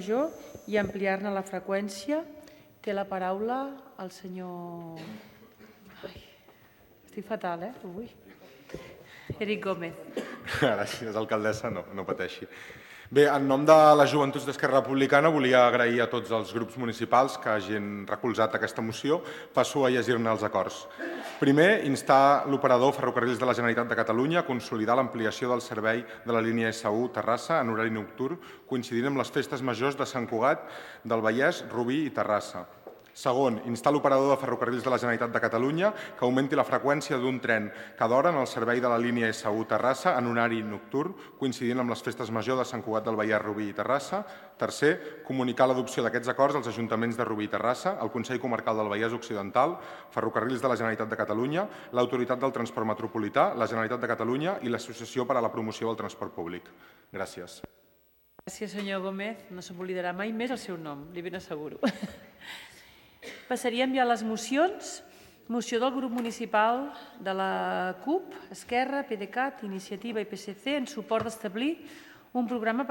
major i ampliar-ne la freqüència. Té la paraula el senyor... Estic fatal, avui. Eric Gómez. Gràcies, alcaldessa, no pateixi. Bé, en nom de les Joventuts d'Esquerra Republicana volia agrair a tots els grups municipals que hagin recolzat aquesta moció. Passo a llegir-ne els acords. Primer, instar l'operador Ferrocarrils de la Generalitat de Catalunya a consolidar l'ampliació del servei de la línia S1 Terrassa en horari nocturn, coincidint amb les festes majors de Sant Cugat del Vallès, Rubí i Terrassa. Segon, instar l'operador de Ferrocarrils de la Generalitat de Catalunya que augmenti la freqüència d'un tren cada hora en el servei de la línia S1 Terrassa en horari nocturn, coincidint amb les festes majors de Sant Cugat del Vallès, Rubí i Terrassa. Tercer, comunicar l'adopció d'aquests acords als ajuntaments de Rubí i Terrassa, el Consell Comarcal del Vallès Occidental, Ferrocarrils de la Generalitat de Catalunya, l'Autoritat del Transport Metropolità, la Generalitat de Catalunya i l'Associació per a la Promoció del Transport Públic. Gràcies. Gràcies, senyor Gómez. No s'oblidarà mai més el seu nom, li ben asseguro. Passaríem ja a les mocions. Moció del grup municipal de la CUP, Esquerra, PDeCAT, Iniciativa i PSC en suport d'establir un programa per